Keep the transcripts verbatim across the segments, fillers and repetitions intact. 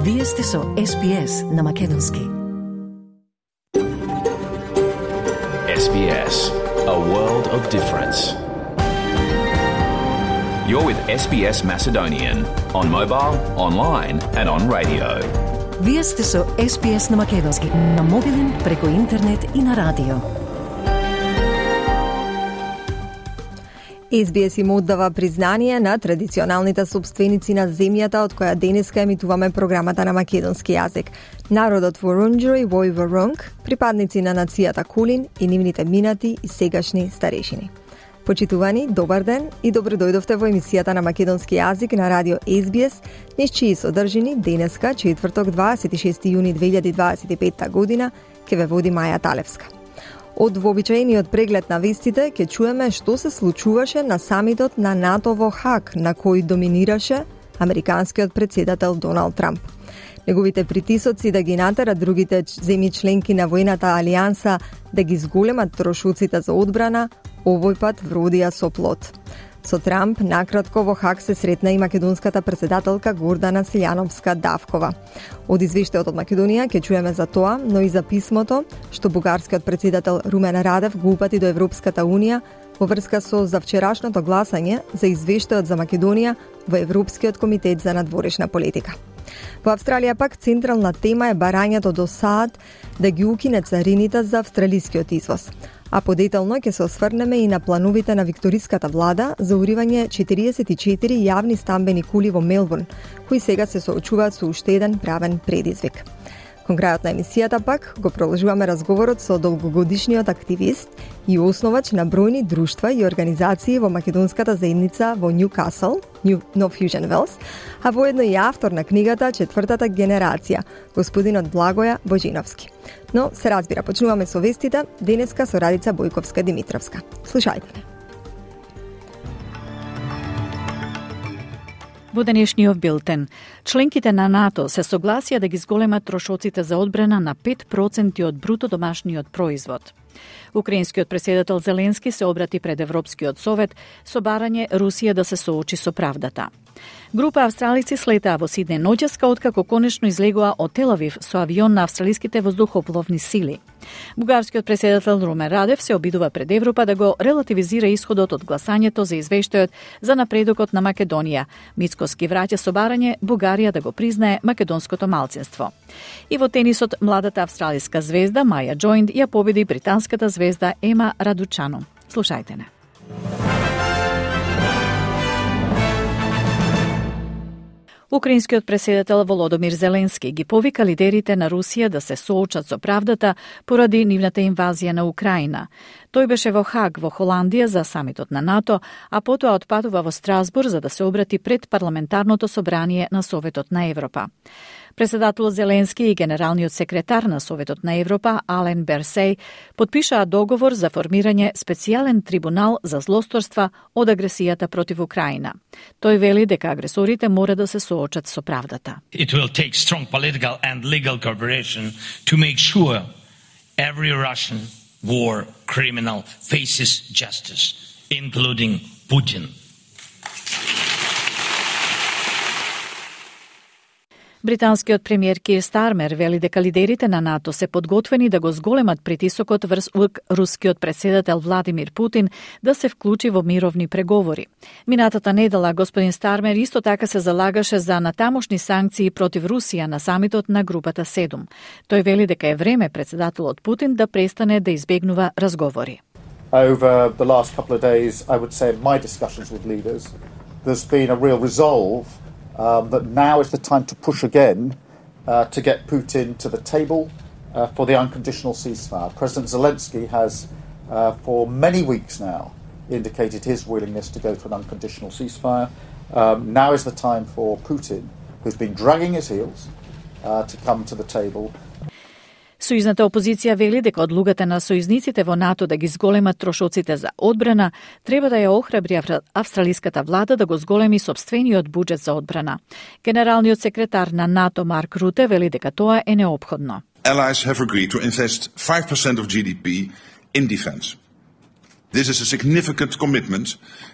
Вие сте со Ес Би Ес на Македонски. Ес Би Ес, a world of difference. You're with Ес Би Ес Macedonian on mobile, online and on radio. Вие сте со Ес Би Ес на Македонски, на мобилен, преку интернет и на радио. Ес Би Ес им оддава признание на традиционалните собственици на земјата од која денеска емитуваме програмата на македонски јазик. Народот Ворунџери во Ворунг, припадници на нацијата Кулин и нивните минати и сегашни старешини. Почитувани, добар ден и добро дојдовте во емисијата на македонски јазик на радио Ес Би Ес, низ чии содржини денеска, четврток, дваесет и шести јуни две илјади дваесет и петта година, ке ве води Маја Талевска. Од вообичаениот преглед на вестите ќе чуеме што се случуваше на самитот на НАТО во Хаг, на кој доминираше американскиот претседател Доналд Трамп. Неговите притисоци да ги натера другите земји членки на војната алијанса да ги зголемат трошоците за одбрана, овој пат вродија со плод. Со Трамп накратко во Хаг се сретна и македонската претседателка Гордана Силјановска-Давкова. Од извештајот од Македонија ќе чуеме за тоа, но и за писмото што бугарскиот претседател Румен Радев го упати до Европската унија во врска со завчерашното гласање за извештајот за Македонија во Европскиот комитет за надворешна политика. Во Австралија пак централна тема е барањето до САД да ги укине царините за австралискиот извоз. А подетално ќе се осврнеме и на плановите на викториската влада за уривање четириесет и четири јавни стамбени кули во Мелбурн, кои сега се соочуваат со уште еден правен предизвик. Кон крајот на емисијата пак го продолжуваме разговорот со долгогодишниот активист и основач на бројни друштва и организации во македонската заедница во Ньюкасл, No Fusion Wells, а воедно и автор на книгата Четвртата генерација, господинот Благоја Божиновски. Но се разбира, почнуваме со вестите, денеска со Радица Бојковска-Димитровска. Слушајте ме. Во денешниот билтен, членките на НАТО се согласија да ги зголемат трошоците за одбрана на пет проценти од бруто домашниот производ. Украинскиот претседател Зеленски се обрати пред Европскиот совет со барање Русија да се соочи со правдата. Група австралици слетаа во Сиднеј ноќеска откако конечно излегоа од Тел Авив со авион на австралиските воздухопловни сили. Бугарскиот претседател Румен Радев се обидува пред Европа да го релативизира исходот од гласањето за извештајот за напредокот на Македонија. Мицкоски враќа со барање Бугарија да го признае македонското малцинство. И во тенисот младата австралиска звезда Маја Джоинд ја победи британската звезда Ема Радучано. Слушајте не. Украинскиот претседател Володомир Зеленски ги повика лидерите на Русија да се соочат со правдата поради нивната инвазија на Украина. Тој беше во Хаг во Холандија за самитот на НАТО, а потоа отпатува во Страсбург за да се обрати пред парламентарното собрание на Советот на Европа. Председателот Зеленски и генералниот секретар на Советот на Европа Ален Берсеј потпишаа договор за формирање специјален трибунал за злосторства од агресијата против Украина. Тој вели дека агресорите мора да се соочат со правдата. It will take strong political and legal cooperation to make sure every Russian war criminal faces justice, including Putin. Британскиот премиер Кир Стармер вели дека лидерите на НАТО се подготвени да го зголемат притисокот врз рускиот претседател Владимир Путин да се вклучи во мировни преговори. Минатата недела господин Стармер исто така се залагаше за натамошни санкции против Русија на самитот на групата седум. Тој вели дека е време претседателот Путин да престане да избегнува разговори. Over the last couple of days, I would say in my discussions with leaders, there's been a real resolve Um, that now is the time to push again uh, to get Putin to the table uh, for the unconditional ceasefire. President Zelensky has, uh, for many weeks now, indicated his willingness to go to an unconditional ceasefire. Um, now is the time for Putin, who's been dragging his heels, uh, to come to the table. Сојузната опозиција вели дека одлугата на сојузниците во НАТО да ги зголемат трошоците за одбрана треба да ја охрабри австралиската влада да го зголеми сопствениот буџет за одбрана. Генералниот секретар на НАТО Марк Руте вели дека тоа е неопходно. Allies have agreed to invest five percent of G D P in defense. This is a significant commitment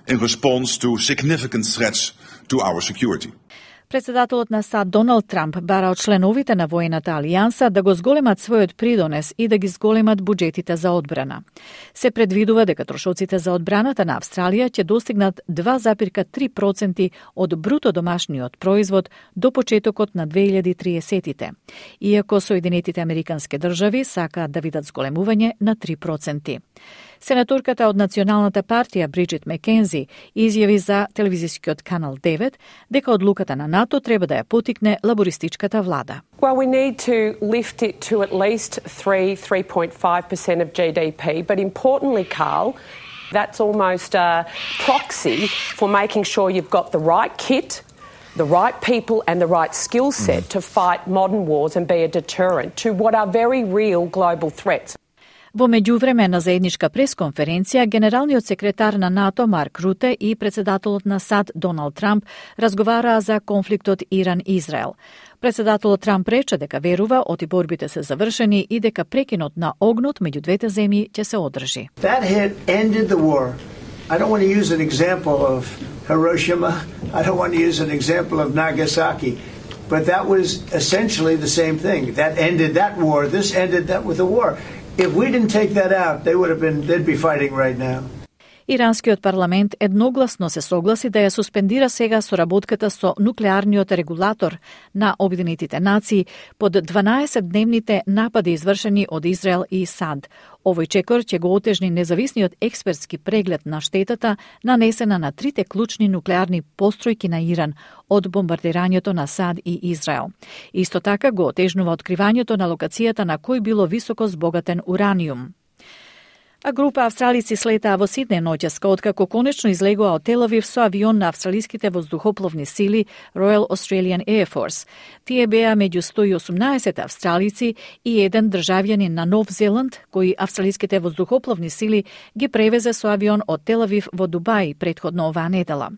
in response to significant threats to our security. Председателот на САД Доналд Трамп бара од членовите на воената алијанса да го зголемат својот придонес и да ги зголемат буџетите за одбрана. Се предвидува дека трошоците за одбраната на Австралија ќе достигнат два зарез три проценти од бруто домашниот производ до почетокот на две илјади и триесеттите, иако Соединетите Американски држави сакаат да видат зголемување на три проценти. Сенаторката од Националната партија Бриджит Маккензи изјави за телевизискиот канал девет дека одлуката на НАТО треба да ја потикне лабористичката влада. Well, we need to lift it to at least three, three point five percent of G D P, but importantly, Carl, that's almost a proxy for making sure you've got the right kit, the right people and the right skill set to fight modern wars and be a deterrent to what are very real global threats. Во меѓувреме на заедничка пресконференција, генералниот секретар на НАТО Марк Руте и председателот на САД Доналд Трамп разговараа за конфликтот Иран-Израел. Председателот Трамп рече дека верува оти борбите се завршени и дека прекинот на огнот меѓу двете земји ќе се одржи. That hit ended the war. I don't want to use an example of Hiroshima. I don't want to use an example of Nagasaki. But that was essentially the same thing. That ended that war. This ended that with the war. If we didn't take that out, they would have been, they'd be fighting right now. Иранскиот парламент едногласно се согласи да ја суспендира сега соработката со нуклеарниот регулатор на Обединетите нации под дванаесетдневните напади извршени од Израел и САД. Овој чекор ќе го отежни независниот експертски преглед на штетата нанесена на трите клучни нуклеарни постројки на Иран од бомбардирањето на САД и Израел. Исто така го отежнува откривањето на локацијата на кој било високо збогатен ураниум. А група австралици слетаа во Сиднеј ноќеска откако конечно излегоа од Тел Авив со авион на австралиските воздухопловни сили Royal Australian Air Force. Тие беа меѓу сто и осумнаесет австралици и еден државјанин на Нов Зеланд, кои австралиските воздухопловни сили ги превезе со авион од Тел Авив во Дубај претходно оваа недела.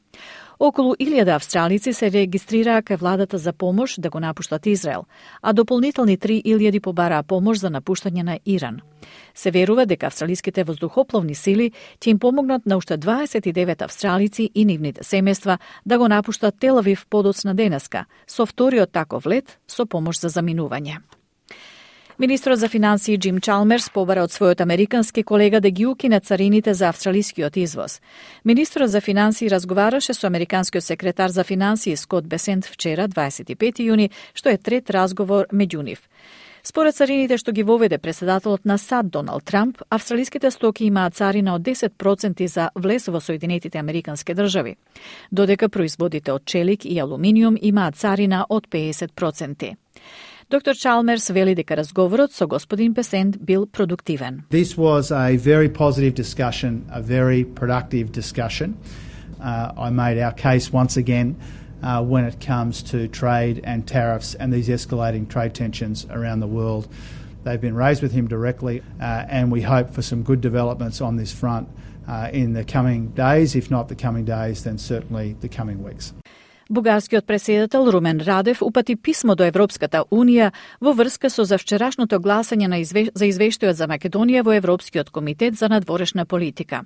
Околу илјада австралици се регистрираа кај владата за помош да го напуштат Израел, а дополнителни три илјади побараа помош за напуштање на Иран. Се верува дека австралиските воздухопловни сили ќе им помогнат на уште дваесет и девет австралици и нивните семејства да го напуштат Тел Авив подоцна денеска, со вториот таков лет со помош за заминување. Министрот за финансии Джим Чалмерс побара од својот американски колега да ги укине царините за австралискиот извоз. Министрот за финансии разговараше со американскиот секретар за финансии Скот Бесент вчера, дваесет и пети јуни, што е трет разговор меѓу нив. Според царините што ги воведе председателот на САД Доналд Трамп, австралиските стоки имаат царина од десет проценти за влез во Соединетите Американски држави, додека производите од челик и алуминиум имаат царина од педесет проценти. Доктор Чалмерс вели дека разговорот со господин Бесент бил продуктивен. This was a very positive discussion, a very productive discussion. Uh, I made our case once again uh, when it comes to trade and tariffs and these escalating trade tensions around the world. They've been raised with him directly uh, and we hope for some good developments on this front uh, in the coming days, if not the coming days, then certainly the coming weeks. Бугарскиот претседател Румен Радев упати писмо до Европската Унија во врска со завчерашното гласање на изве... за извештајот за Македонија во Европскиот комитет за надворешна политика.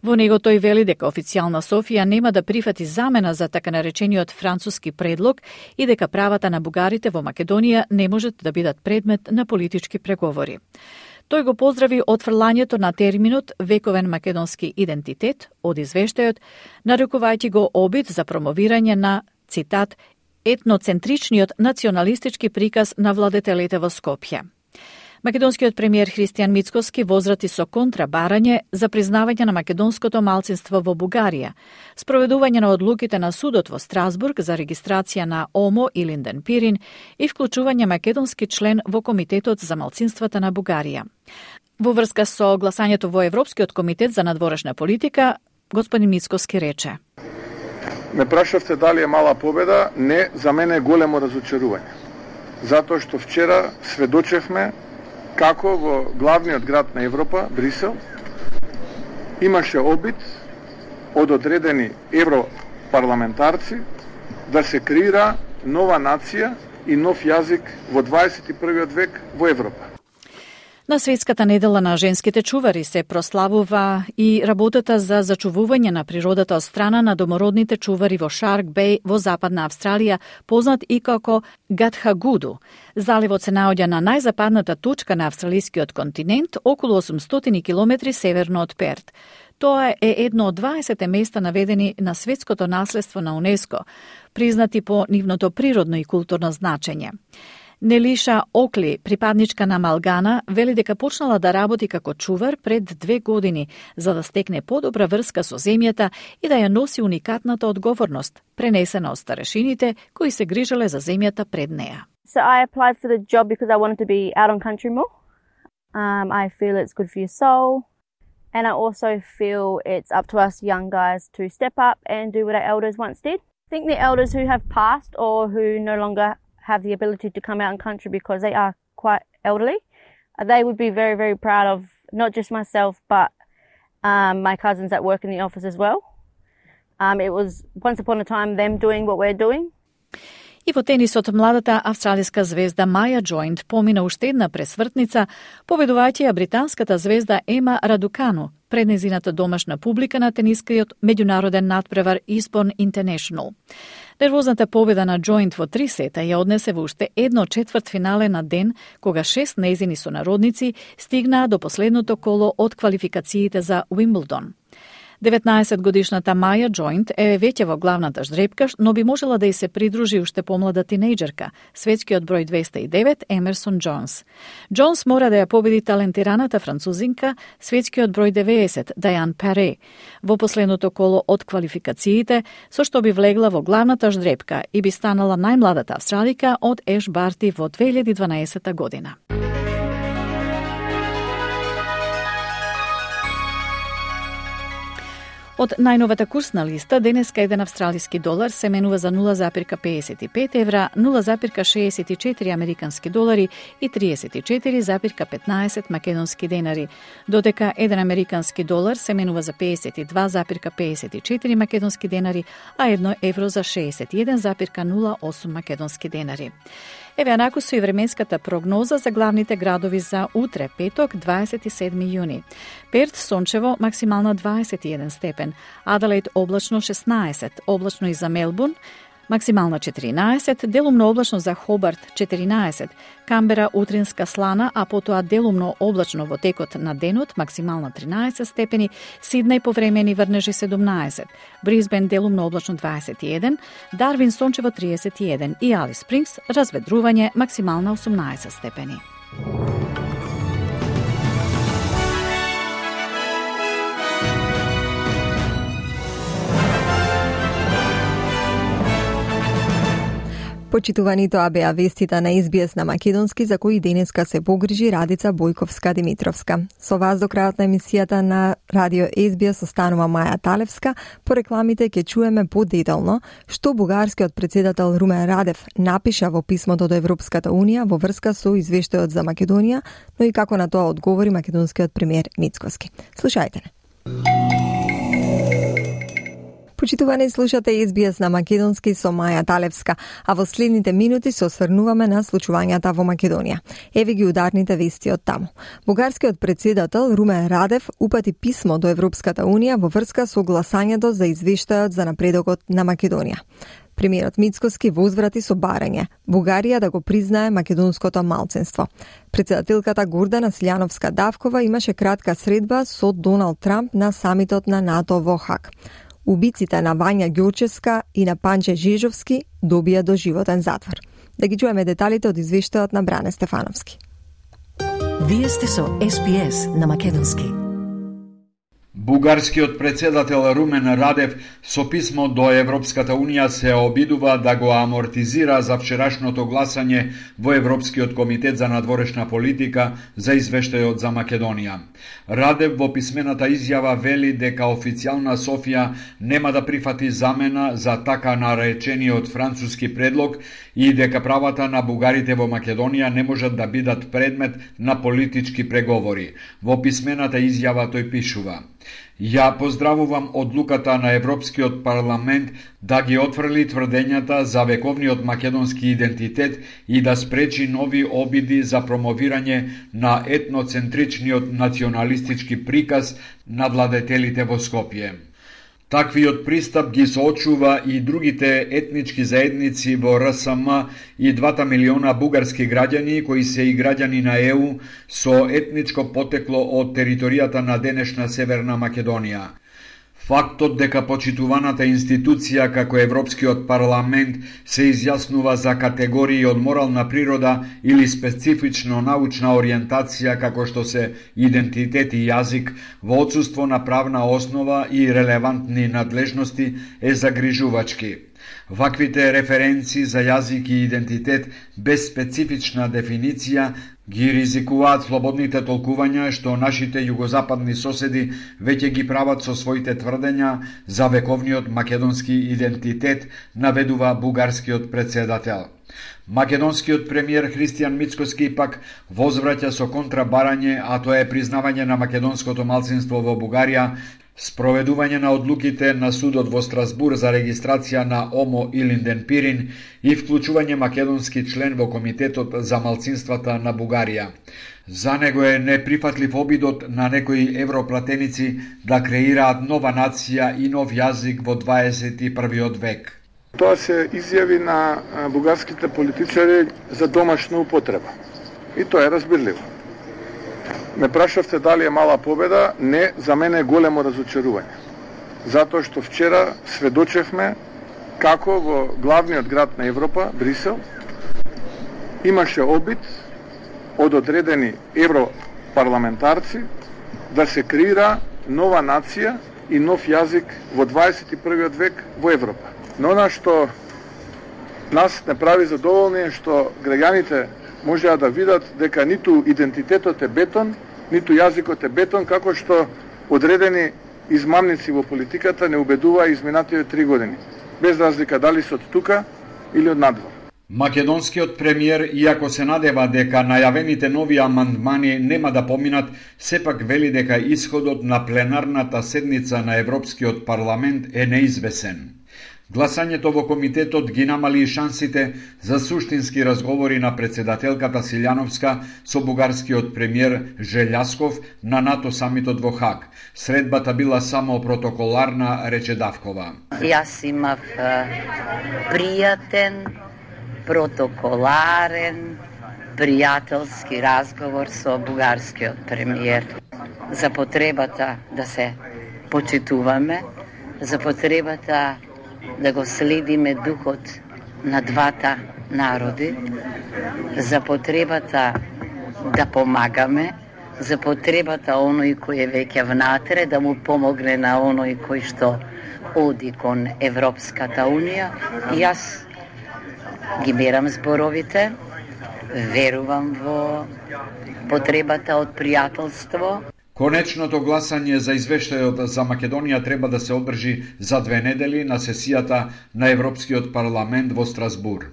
Во него тој вели дека официјална Софија нема да прифати замена за така наречениот француски предлог и дека правата на бугарите во Македонија не можат да бидат предмет на политички преговори. Тој го поздрави отфрлањето на терминот вековен македонски идентитет од извештајот, нарекувајќи го обид за промовирање на, цитат, етноцентричниот националистички приказ на владетелите во Скопје. Македонскиот премиер Христијан Мицкоски возрати со контрабарање за признавање на македонското малцинство во Бугарија, спроведување на одлуките на судот во Страсбург за регистрација на ОМО и Линден Пирин и вклучување македонски член во Комитетот за малцинствата на Бугарија. Во врска со гласањето во Европскиот комитет за надворешна политика, господин Мицкоски рече: Ме прашавте дали е мала победа, не, за мене е големо разочарување. Затоа што вчера сведочевме како во главниот град на Европа, Брисел, имаше обид од одредени европарламентарци да се креира нова нација и нов јазик во дваесет и првиот век во Европа. На Светската недела на женските чувари се прославува и работата за зачувување на природата од страна на домородните чувари во Шарк Беј во Западна Австралија, познат и како Гатхагуду. Заливот се наоѓа на најзападната точка на австралискиот континент, околу осумстотини километри северно од Перт. Тоа е едно од дваесет места наведени на светското наследство на УНЕСКО, признати по нивното природно и културно значење. Нелиша Окли, припадничка на Малгана, вели дека почнала да работи како чувар пред две години, за да стекне подобра врска со земјата и да ја носи уникатната одговорност, пренесена од старешините кои се грижеле за земјата пред неа. So I applied for the job because I wanted to be out on country more. Um, I feel it's good for your soul. And I also feel it's up to us young guys to step up and do what our elders once did. I think the elders who have passed or who no longer have the ability to come out in country because they are quite elderly, they would be very, very proud of not just myself, but um, my cousins that work in the office as well. Um, it was once upon a time them doing what we're doing. И во тенисот младата австралиска звезда Маја Джоинт помина уште една пресвртница, победувајќи ја британската звезда Ема Радукану пред незината домашна публика на тенискиот меѓународен надпревар Eastbourne International. Нервозната победа на Джоинт во три сета ја однесе во уште едно четвртфинале на ден, кога шест незини сонародници стигнаа до последното коло од квалификациите за Уимблдон. деветнаесет годишната Маја Джоинт е веќе во главната ждрепка, но би можела да й се придружи уште помлада тинејџерка, светскиот број двеста и девет Емерсон Джонс. Джонс мора да ја победи талентираната французинка, светскиот број деветдесет Дајан Паре, во последното коло од квалификациите, со што би влегла во главната ждрепка и би станала најмладата австралика од Еш Барти во две илјади и дванаесета година. Од најновата курсна листа, денеска еден австралиски долар се менува за нула запирка педесет и пет евра, нула запирка шеесет и четири американски долари и триесет и четири запирка петнаесет македонски денари, додека еден американски долар се менува за педесет и два запирка педесет и четири македонски денари, а едно евро за шеесет и еден запирка нула осум македонски денари. Еве анаку со и временската прогноза за главните градови за утре, петок, дваесет и седми јуни. Перт сончево, максимална дваесет и еден степен, Аделаид облачно шеснаесет, облачно и за Мелбурн, максимална четиринаесет, делумно облачно за Хобарт четиринаесет, Камбера утринска слана, а потоа делумно облачно во текот на денот, максимална тринаесет степени, Сиднеј повремени врнежи седумнаесет, Брисбен делумно облачно дваесет и еден, Дарвин сончево триесет и еден и Алис Спрингс разведрување максимална осумнаесет степени. Почитувани, тоа беа вестите на Ес Би Ес на македонски, за кои денеска се погрижи Радица Бојковска-Димитровска. Со вас до крајот на емисијата на Радио Ес Би Ес останува Маја Талевска. По рекламите ќе чуеме подетално што бугарскиот председател Румен Радев напиша во писмото до Европската Унија во врска со извештајот за Македонија, но и како на тоа одговори македонскиот премиер Мицкоски. Слушајте не. Почитувани, слушате Ес Би Ес на македонски со Маја Талевска, а во следните минути се осврнуваме на случувањата во Македонија. Еве ги ударните вести од таму. Бугарскиот председател Румен Радев упати писмо до Европската Унија во врска со гласањето за извештајот за напредокот на Македонија. Премиерот Мицкоски возврати со барање Бугарија да го признае македонското малцинство. Председателката Гордана Силјановска-Давкова имаше кратка средба со Доналд Трамп на самитот на НАТО во Хаг. Убиците на Вања Ѓорчевска и на Панче Жежовски добија доживотен затвор. Да ги чуеме деталите од извештајот на Бране Стефановски. Вие сте со Ес Би Ес на македонски. Бугарскиот председател Румен Радев со писмо до Европската Унија се обидува да го амортизира за вчерашното гласање во Европскиот комитет за надворешна политика за извештајот за Македонија. Радев во писмената изјава вели дека официјална Софија нема да прифати замена за така наречениот француски предлог и дека правата на бугарите во Македонија не можат да бидат предмет на политички преговори. Во писмената изјава тој пишува: Ја поздравувам одлуката на Европскиот парламент да ги отфрли тврдењата за вековниот македонски идентитет и да спречи нови обиди за промовирање на етноцентричниот националистички приказ на владетелите во Скопје. Таквиот пристап ги соочува и другите етнички заедници во Р С М и двата милиона бугарски граѓани кои се и граѓани на Е У со етничко потекло од територијата на денешна Северна Македонија. Фактот дека почитуваната институција како Европскиот парламент се изјаснува за категории од морална природа или специфично научна ориентација како што се идентитет и јазик во отсуство на правна основа и релевантни надлежности е загрижувачки. Ваквите референци за јазик и идентитет без специфична дефиниција ги ризикуваат слободните толкувања што нашите југозападни соседи веќе ги прават со своите тврдења за вековниот македонски идентитет, наведува бугарскиот председател. Македонскиот премиер Христијан Мицкоски пак возвраќа со контрабарање, а тоа е признавање на македонското малцинство во Бугарија, спроведување на одлуките на судот во Страсбур за регистрација на Омо Илинден Пирин и вклучување македонски член во Комитетот за малцинствата на Бугарија. За него е неприфатлив обидот на некои европлатеници да креираат нова нација и нов јазик во дваесет и првиот век. Тоа се изјави на бугарските политичари за домашна употреба. И тоа е разбирливо. Ме прашавте дали е мала победа, не, за мене е големо разочарување. Затоа што вчера сведочевме како во главниот град на Европа, Брисел, имаше обид од одредени европарламентарци да се креира нова нација и нов јазик во дваесет и првиот век во Европа. Но она што нас не прави задоволни е што граѓаните можеа да видат дека ниту идентитетот е бетон, ниту јазикот е бетон, како што одредени измамници во политиката не убедуваа изминатите три години, без разлика дали се од тука или од надвор. Македонскиот премиер, иако се надева дека најавените нови амандмани нема да поминат, сепак вели дека исходот на пленарната седница на Европскиот парламент е неизвесен. Гласањето во комитетот ги намали шансите за суштински разговори на председателката Силјановска со бугарскиот премиер Желјасков на НАТО самитот во Хаг. Средбата била само протоколарна, рече Давкова. Јас имав пријатен, протоколарен, пријателски разговор со бугарскиот премиер за потребата да се почитуваме, за потребата да го следиме духот на двата народи, за потребата да помагаме, за потребата оној кој е веќе внатре да му помогне на оној кој што оди кон Европската Унија. Јас ги берам зборовите, верувам во потребата од пријателство. Конечното гласање за извештајот за Македонија треба да се одржи за две недели на сесијата на Европскиот парламент во Страсбур.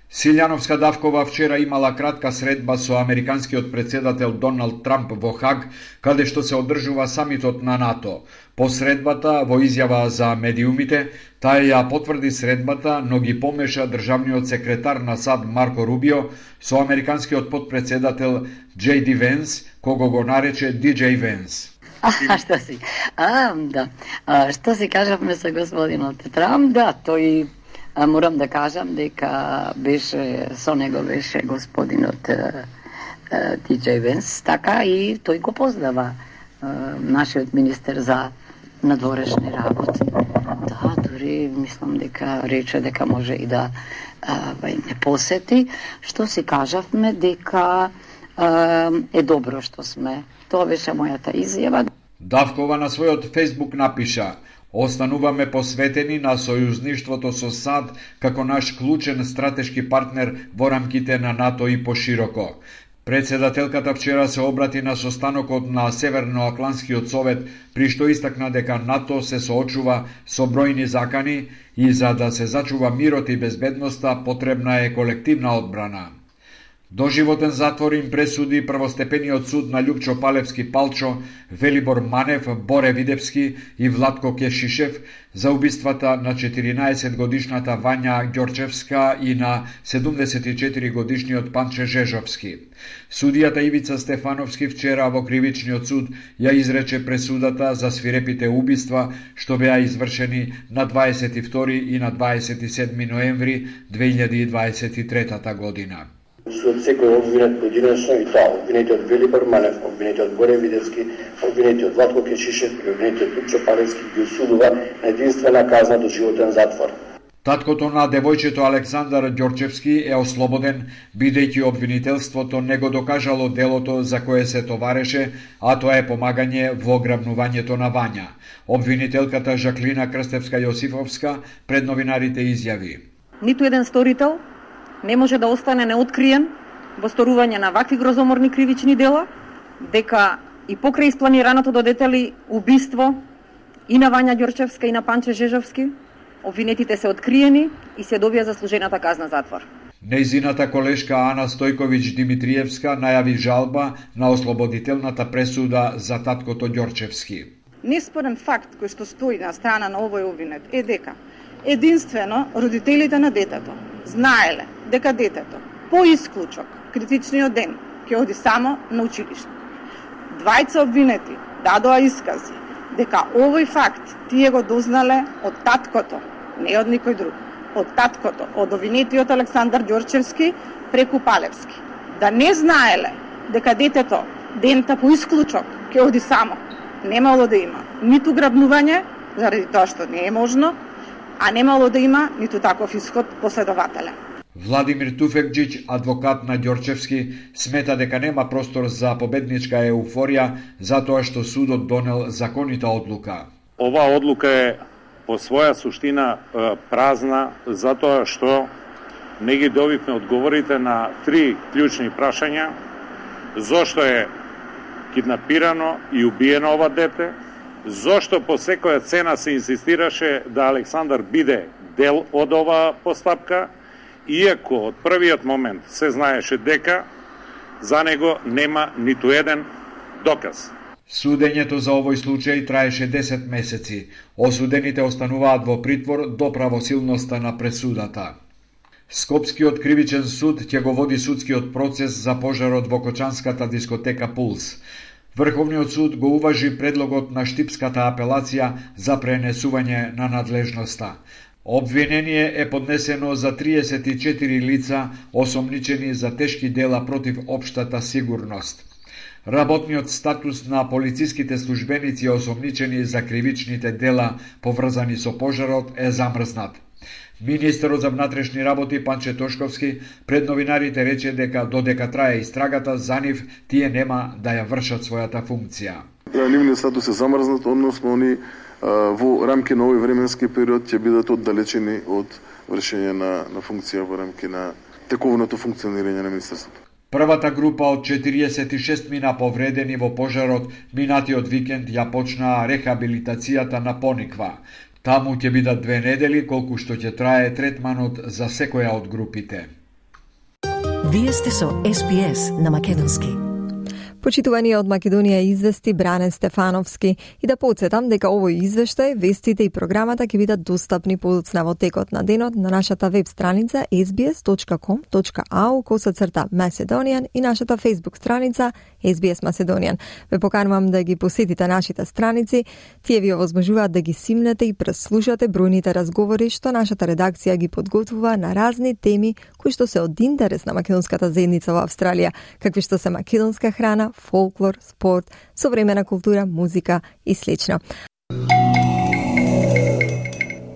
Силјановска Давкова вчера имала кратка средба со американскиот председател Доналд Трамп во Хаг, каде што се одржува самитот на НАТО. По средбата, во изјава за медиумите, таа ја потврди средбата, но ги помеша државниот секретар на САД Марко Рубио со американскиот потпредседател Джей Ди Венс, кого го нарече Ди Джей Венс. А, што си? А, да. А, што си кажавме со господинот Трамп? Да, тој а, морам да кажам дека беше со него беше господинот Ди Джей Венс, така и тој го познава а, нашиот министер за надворешни работи. Да, дури мислам дека рече дека може и да а, не посети. Што си кажавме дека а, е добро што сме. Тоа беше мојата изјава. Давкова на својот Фејсбук напиша: Остануваме посветени на сојузништвото со САД како наш клучен стратешки партнер во рамките на НАТО и пошироко. Председателката вчера се обрати на состанокот на Северноатлантскиот совет, при што истакна дека НАТО се соочува со бројни закани и за да се зачува мирот и безбедноста потребна е колективна одбрана. Доживотен затвор им пресуди првостепениот суд на Љупчо Палевски Палчо, Велибор Манев, Боре Видевски и Владко Кешишев за убиствата на четиринаесет годишната Вања Ѓорчевска и на седумдесет и четири годишниот Панче Жежовски. Судијата Ивица Стефановски вчера во кривичниот суд ја изрече пресудата за свирепите убиства што беа извршени на дваесет и втори и на дваесет и седми ноември две илјади и дваесет и трета година. Од секој обвинет поединечно и тоа, обвинетиот Велибор Манев, обвинетиот Боре Видевски, обвинетиот Владко Кешишев и обвинетиот Љупчо Палевски ги осудува на единствена казна до животен затвор. Таткото на девојчето Александар Ѓорчевски е ослободен, бидејќи обвинителството не го докажало делото за кое се товареше, а тоа е помагање во ограбнувањето на Вања. Обвинителката Жаклина Крстевска-Јосифовска пред новинарите изјави: Ниту еден сторител не може да остане неоткриен во сторување на вакви грозоморни кривични дела, дека и покрај испланираното до детали убиство и на Вања Ѓорчевска и на Панче Жежовски, обвинетите се откриени и се добија заслужената казна затвор. Нејзината колешка Ана Стојковиќ Димитриевска најави жалба на ослободителната пресуда за таткото Ѓорчевски. Неспорен факт кој што стои на страна на овој обвинет е дека единствено родителите на детето знаеле дека детето по исклучок критичниот ден ќе оди само на училиште. Двајца обвинети дадоа искази дека овој факт тие го дознале од таткото, не од никој друг, од таткото, од обвинетиот Александар Ѓорчевски преку Палевски. Да не знаеле дека детето дента по исклучок ќе оди само, немало да има ниту грабнување, заради тоа што не е можно, а немало да има ниту таков исход последователен. Владимир Туфекџиќ, адвокат на Ѓорчевски, смета дека нема простор за победничка еуфорија затоа што судот донел законита одлука. Оваа одлука е по своја суштина празна затоа што не ги добивме одговорите на три клучни прашања: зошто е киднапирано и убиено ова дете, зошто по секоја цена се инсистираше да Александар биде дел од оваа постапка, иако од првиот момент се знаеше дека за него нема ниту еден доказ. Судењето за овој случај траеше десет месеци. Осудените остануваат во притвор до правосилноста на пресудата. Скопскиот кривичен суд ќе го води судскиот процес за пожарот во кочанската дискотека Пулс. Врховниот суд го уважи предлогот на штипската апелација за пренесување на надлежноста. Обвинение е поднесено за триесет и четири лица осомничени за тешки дела против општата сигурност. Работниот статус на полициските службеници осомничени за кривичните дела поврзани со пожарот е замрзнат. Министерот за внатрешни работи Панче Тошковски пред новинарите рече дека додека трае истрагата за нив, тие нема да ја вршат својата функција. Нивниот статус е замрзнат, односно они во рамки на овој временски период ќе бидат оддалечени од вршење на, на функција во рамки на тековното функционирање на министерството. Првата група од четириесет и шест мина повредени во пожарот минатиот викенд ја почнаа рехабилитацијата на Пониква. Таму ќе бидат две недели колку што ќе трае третманот за секоја од групите. Вие сте со Ес Би Ес на македонски. Почитувани од Македонија извести Бране Стефановски и да подсетам дека овој извештај, вестите и програмата ќе бидат достапни подоцна во текот на денот на нашата веб страница ес би ес точка ком точка ау косацрта Macedonian и нашата Facebook страница Ес Би Ес Macedonian. Ве поканувам да ги посетите нашите страници, тие ви овозможуваат да ги симнете и преслушате бројните разговори што нашата редакција ги подготвува на разни теми кои што се од интерес на македонската заедница во Австралија, какви што се македонска храна, фолклор, спорт, современа култура, музика и слично.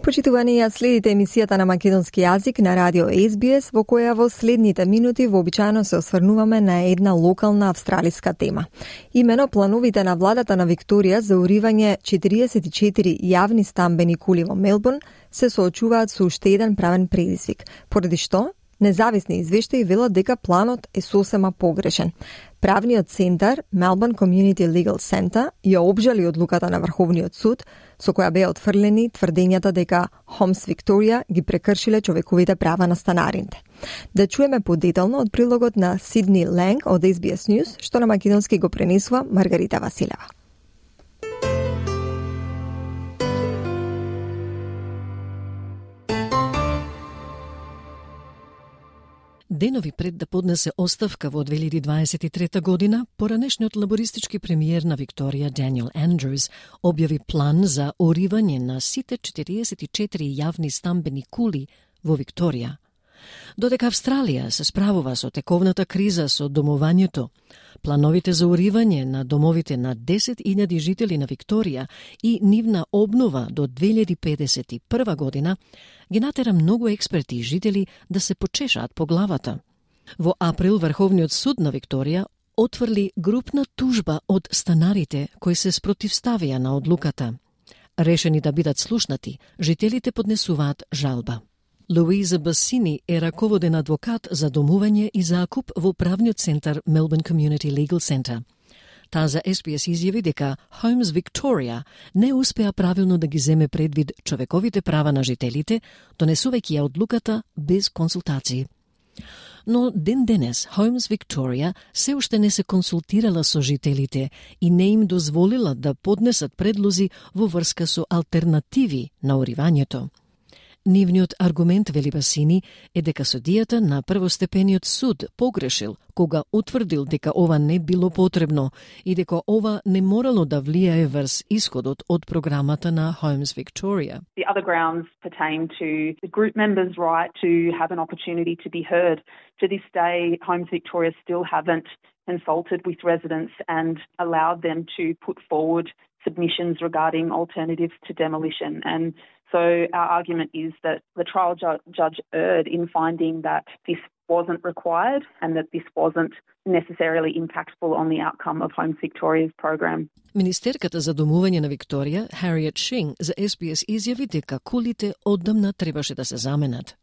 Почитувани, ја следите емисијата на македонски јазик на радио Ес Би Ес, во која во следните минути вообичаено се осврнуваме на една локална австралиска тема. Имено плановите на владата на Викторија за уривање четириесет и четири јавни стамбени кули во Мелбурн се соочуваат со уште еден правен предизвик, поради што Независни извештаи велат дека планот е сосема погрешен. Правниот центар Melbourne Community Legal Centre ја обжали одлуката на Врховниот суд, со која беа отфрлени тврдењата дека Homes Victoria ги прекршиле човековите права на станарините. Да чуеме подетално од прилогот на Сидни Ланг од Ес Би Ес News, што на македонски го пренесува Маргарита Василева. Денови пред да поднесе оставка во две илјади дваесет и трета година, поранешниот лабористички премиер на Викторија Даниел Андрюс објави план за оривање на сите четириесет и четири јавни стамбени кули во Викторија. Додека Австралија се справува со тековната криза со домувањето, плановите за уривање на домовите на десет илјади жители на Викторија и нивна обнова до две илјади педесет и прва година ги натера многу експерти и жители да се почешаат по главата. Во април Врховниот суд на Викторија отврли групна тужба од станарите кои се спротивставија на одлуката. Решени да бидат слушнати, жителите поднесуваат жалба. Луиза Басини е раководен адвокат за домување и закуп во правниот центар Melbourne Community Legal Centre. Таа за Ес Би Ес изјави дека Homes Victoria не успеа правилно да ги земе предвид човековите права на жителите, донесувајќи ја одлуката без консултации. Но ден денес Homes Victoria се уште не се консултирала со жителите и не им дозволила да поднесат предлози во врска со алтернативи на уривањето. Нивниот аргумент, вели Басини, е дека судијата на првостепениот суд погрешил кога утврдил дека ова не било потребно и дека ова не морало да влијае врз исходот од програмата на Homes Victoria. The other grounds pertain to the group members' right to have an opportunity to be heard. To this day, Homes Victoria still haven't consulted with residents and allowed them to put forward submissions regarding alternatives to demolition. And so our argument is that the trial ju- judge erred in finding that this wasn't required and that this wasn't necessarily impactful on the outcome of Homes Victoria's program. Министерката за домување на Викторија, Harriet Shing, за Ес Би Ес изјави дека кулите оддамна требаше да се заменат.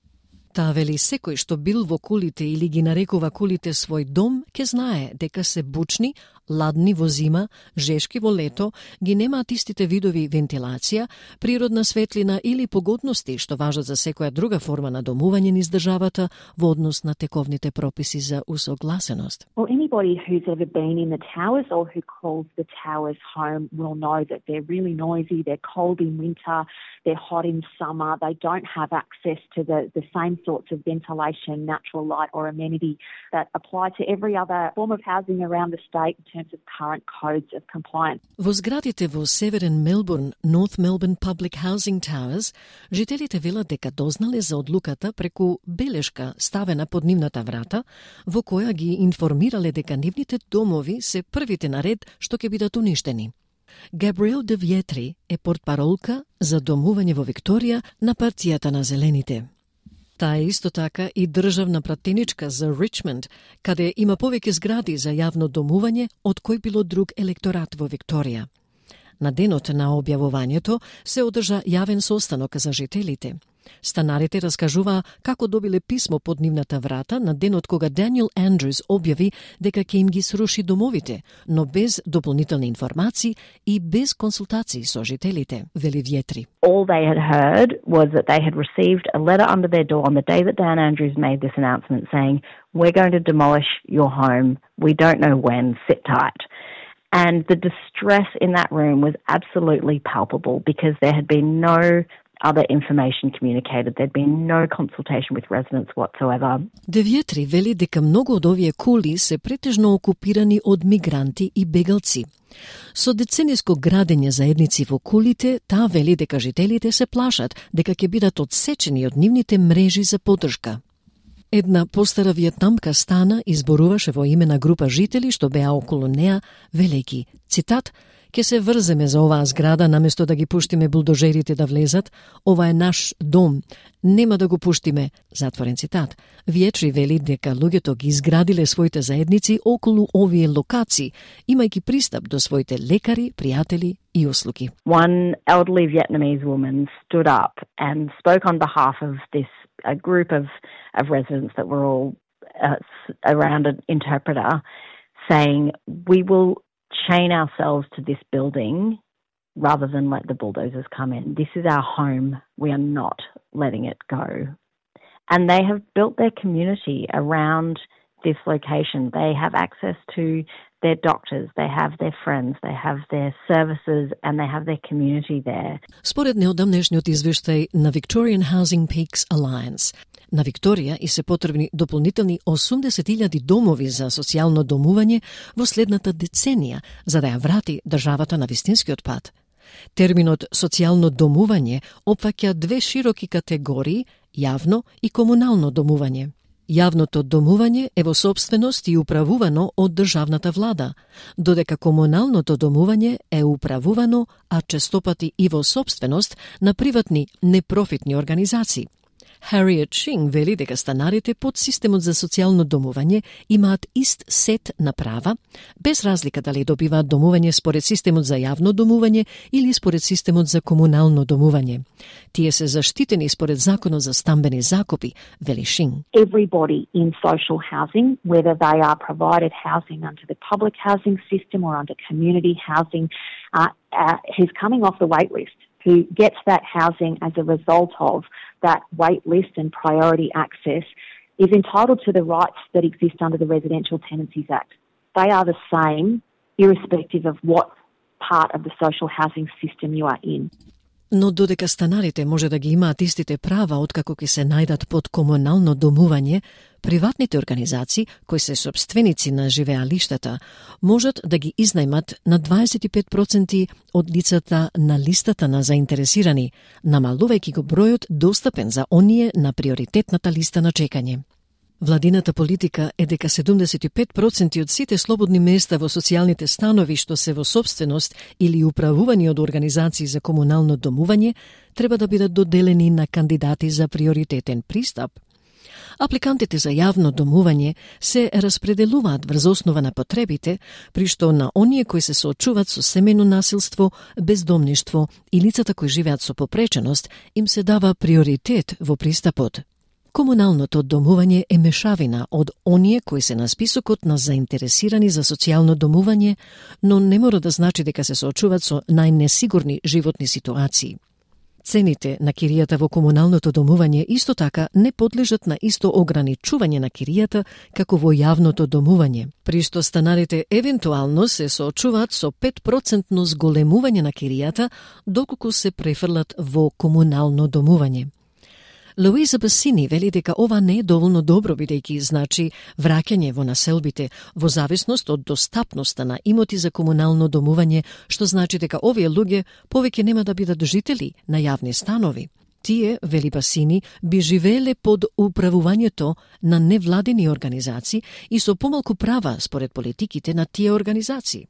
Таа вели секој што бил во кулите или ги нарекува кулите свој дом, ке знае дека се бучни, ладни во зима, жешки во лето, ги немаат истите видови вентилација, природна светлина или погодности што важат за секоја друга форма на домување низ државата во однос на тековните прописи за усогласеност. Well, anybody who's ever been in the towers or who calls the towers home will know that they're really noisy, they're cold in winter, they're hot in summer, they don't have access to the, the same sorts of ventilation, natural light or amenity that apply to every other form of housing around the state in terms of current codes of compliance. Во зградите во Северен Мелбурн, North Melbourne Public Housing Towers, жителите велат дека дознале за одлуката преку белешка ставена под нивната врата, во која ги информирале дека нивните домови се првите на ред што ќе бидат уништени. Габриел де Виетри е портпаролка за домување во Викторија на партијата на Зелените. Таа е исто така и државна пратеничка за Ричмонд, каде има повеќе згради за јавно домување од кој било друг електорат во Викторија. На денот на објавувањето се одржа јавен состанок за жителите. Станарите раскажуваа како добиле писмо под нивната врата на денот кога Даниел Андрюс објави дека ќе им ги сруши домовите, но без дополнителни информации и без консултации со жителите, вели Виетри. All they had heard was that they had received a letter under their door on the day that Dan Andrews made this announcement saying, "We're going to demolish your home. We don't know when. Sit tight." And the distress in that room was absolutely palpable because there had been no other information communicated. There'd been no consultation with residents whatsoever. Де Виетри вели дека многу од овие кули се претежно окупирани од мигранти и бегалци. Со децениско градење заедници во кулите, таа вели дека жителите се плашат дека ќе бидат одсечени од нивните мрежи за поддршка. Една постара виетнамка стана изборуваше во име на група жители што беа околу неа, велејќи Цитат: "Ке се врземе за оваа зграда наместо да ги пуштиме булдожерите да влезат. Ова е наш дом. Нема да го пуштиме." Затворен цитат. Виечри вели дека луѓето ги изградиле своите заедници околу овие локации, имајќи пристап до своите лекари, пријатели и услуги. One elderly Vietnamese woman stood up and spoke on behalf of this a group of, of residents that were all uh, around an interpreter, saying, "We will chain ourselves to this building rather than let the bulldozers come in. This is our home. We are not letting it go." And they have built their community around this location. They have access to their doctors, they have their friends, they have their services, and they have their community there. Според неодамнешниот извештај на Victorian Housing Peaks Alliance, на Викторија и се потребни дополнителни осумдесет илјади домови за социјално домување во следната деценија, за да ја врати државата на вистинскиот пат. Терминот социјално домување опфаќа две широки категории, јавно и комунално домување. Јавното домување е во сопственост и управувано од државната влада, додека комуналното домување е управувано, а честопати и во сопственост на приватни непрофитни организации. Harriet Shing вели дека станарите под системот за социјално домување имаат ист сет на права, без разлика дали добиваат домување според системот за јавно домување или според системот за комунално домување. Тие се заштитени според законот за стамбени закупи, вели Shing. Everybody in social housing, whether they are provided housing under the public housing system or under community housing, uh, uh, who's coming off the wait list, who gets that housing as a result of that wait list and priority access, is entitled to the rights that exist under the Residential Tenancies Act. They are the same, irrespective of what part of the social housing system you are in. Но додека станарите може да ги имаат истите права откако ќе се најдат под комунално домување, приватните организации, кои се сопственици на живеалиштата, можат да ги изнајмат на дваесет и пет проценти од лицата на листата на заинтересирани, намалувајќи го бројот достапен за оние на приоритетната листа на чекање. Владината политика е дека седумдесет и пет проценти од сите слободни места во социјалните станови што се во сопственост или управувани од организации за комунално домување треба да бидат доделени на кандидати за приоритетен пристап. Апликантите за јавно домување се распределуваат врз основа на потребите, при што на оние кои се соочуваат со семејно насилство, бездомништво и лицата кои живеат со попреченост им се дава приоритет во пристапот. Комуналното домување е мешавина од оние кои се на списокот на заинтересирани за социјално домување, но не мора да значи дека се соочуваат со најнесигурни животни ситуации. Цените на киријата во комуналното домување исто така не подлежат на исто ограничување на киријата како во јавното домување, при што станарите евентуално се соочуваат со пет проценти зголемување на киријата доколку се префрлат во комунално домување. Луиза Басини вели дека ова не е доволно добро, бидејќи значи враќање во населбите во зависност од достапноста на имоти за комунално домување, што значи дека овие луѓе повеќе нема да бидат жители на јавни станови. Тие, вели Басини, би живееле под управувањето на невладини организации и со помалку права според политиките на тие организации.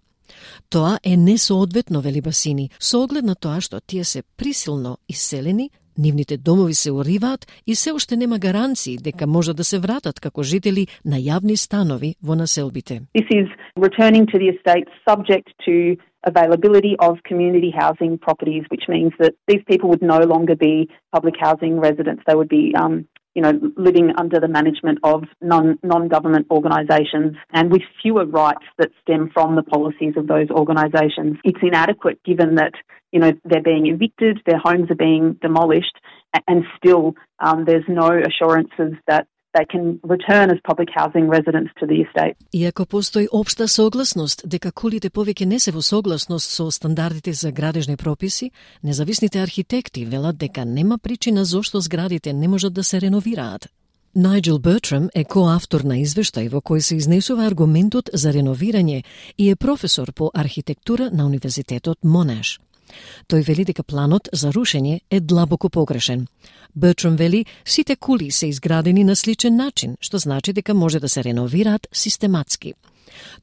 Тоа е несоодветно, вели Басини, со оглед на тоа што тие се присилно иселени, нивните домови се уриваат и се уште нема гаранции дека може да се вратат како жители на јавни станови во населбите. This is returning to the estate subject to availability of community housing properties, which means that these people would no longer be public housing residents. They would be um, you know, living under the management of non, non-government organisations and with fewer rights that stem from the policies of those organisations. It's inadequate given that, you know, they're being evicted, their homes are being demolished, and still um, there's no assurances that they can return as public housing residents to the estate. Иако постои општа согласност дека кулите повеќе не се во согласност со стандардите за градежни прописи, независните архитекти велат дека нема причина зошто зградите не можат да се реновираат. Најджел Бертрам е коавтор на извештај во кој се изнесува аргументот за реновирање и е професор по архитектура на Универзитетот Монаш. Тој вели дека планот за рушење е длабоко погрешен. Бертрам вели, сите кули се изградени на сличен начин, што значи дека може да се реновираат систематски.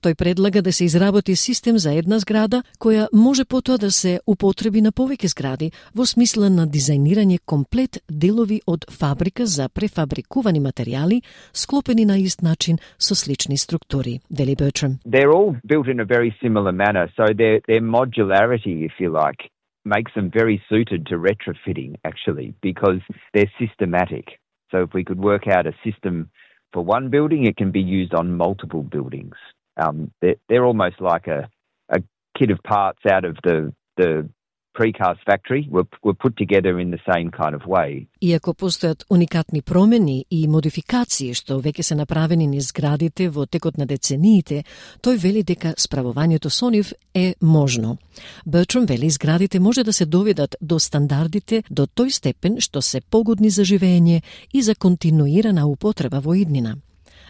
Тој предлага да се изработи систем за една зграда која може потоа да се употреби на повеќе згради во смисла на дизајнирање комплет делови од фабрика за префабрикувани материјали склопени на ист начин со слични структури. Вели Бертрам. They're all built in a very similar manner, so their their modularity, if you like, makes them very suited to retrofitting actually because they're systematic. So if we could work out a system for one building, it can be used on multiple buildings. Um, they're, they're almost like a, a kit of parts out of the, the precast factory were, were put together in the same kind of way. Иако постојат уникатни промени и модификации што веќе се направени низ зградите во текот на децениите, тој вели дека справувањето со нив е можно. Бертрам вели зградите може да се доведат до стандардите до тој степен што се погодни за живење и за континуирана употреба во иднина.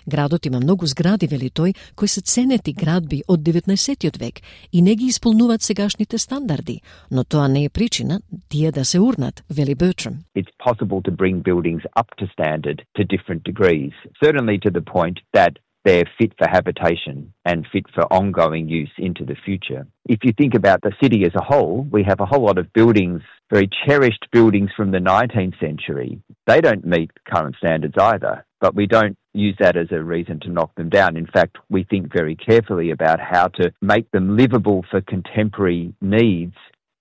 Градот има многу згради, вели тој, кои се ценети градби од деветнаесеттиот век и не ги исполнуваат сегашните стандарди, но тоа не е причина тие да се урнат, вели Бертрам. It's possible to bring buildings up to standard to different degrees, certainly to the point that they're fit for habitation and fit for ongoing use into the future. If you think about the city as a whole, we have a whole lot of buildings, very cherished buildings from the nineteenth century. They don't meet current standards either, but we don't use that as a reason to knock them down. In fact, we think very carefully about how to make them livable for contemporary needs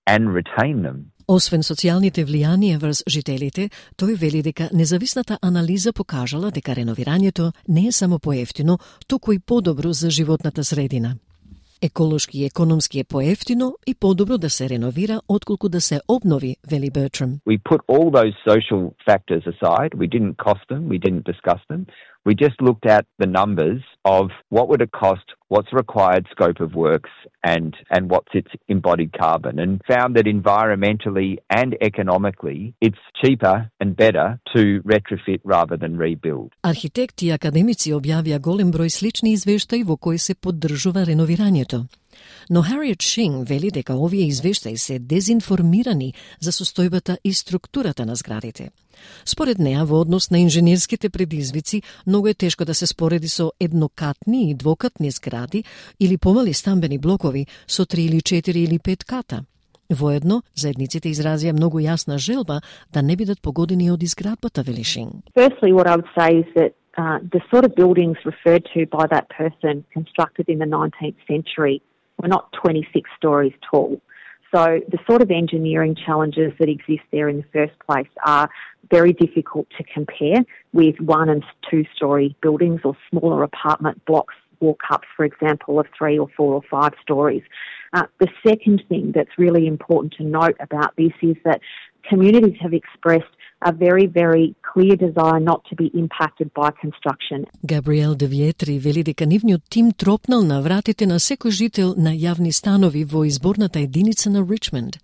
and retain them. Освен социјалните влијанија врз жителите, тој вели дека независната анализа покажала дека реновирањето не е само поевтино, туку и подобро за животната средина. Еколошки и економски е поевтино и подобро да се реновира отколку да се обнови, вели Бертрам. We put all those social factors aside. We didn't cost them. We didn't discuss them. We just looked at the numbers of what would it cost, what's required scope of works, and, and what's its embodied carbon, and found that environmentally and economically it's cheaper and better to retrofit rather than rebuild. Архитекти и академици објавија голем број слични извештаи во кои се поддржува реновирањето. Но Harriet Shing вели дека овие извештаи се дезинформирани за состојбата и структурата на зградите. Според неа, во однос на инженерските предизвици, многу е тешко да се спореди со еднокатни и двокатни згради или помали стамбени блокови со три или четири или пет ката. Воедно, заедниците изразија многу јасна желба да не бидат погодени од изградбата, вели Shing. Firstly, what I would say is that uh, the sort of buildings referred to by that person constructed in the nineteenth century were not twenty-six stories tall. So the sort of engineering challenges that exist there in the first place are very difficult to compare with one and two story buildings or smaller apartment blocks, walk-ups, for example, of three or four or five stories. Uh, the second thing that's really important to note about this is that communities have expressed a very, very clear desire not to be impacted by construction. Габриел де Виетри вели дека нивниот тим тропнал на вратите на секој жител на јавни станови во изборната единица на Ричмонд.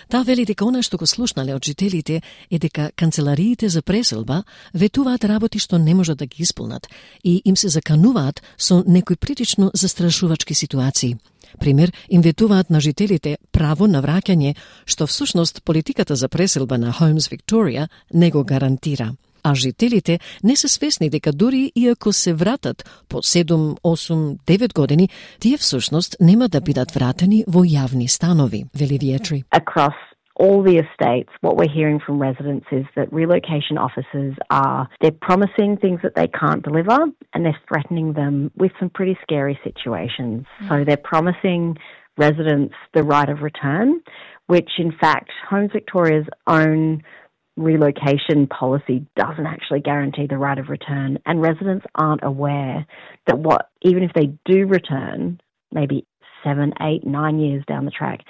Таа вели дека она што го слушнале од жителите е дека канцелариите за преселба ветуваат работи што не можат да ги исполнат и им се закануваат со некои прилично застрашувачки ситуации. Пример, им ветуваат на жителите право на враќање, што всушност политиката за преселба на Homes Victoria не го гарантира. А жителите не се свесни дека дури и ако се вратат по седум, осум, девет години, тие всушност нема да бидат вратени во јавни станови, вели Виетри. Across all the estates, what we're hearing from residents is that relocation officers are, they're promising things that they can't deliver and they're threatening them with some pretty scary situations. Mm. So they're promising residents the right of return, which in fact Homes Victoria's own relocation policy doesn't actually guarantee the right of return, and residents aren't aware that what, even if they do return, maybe seven, eight, nine years down the track,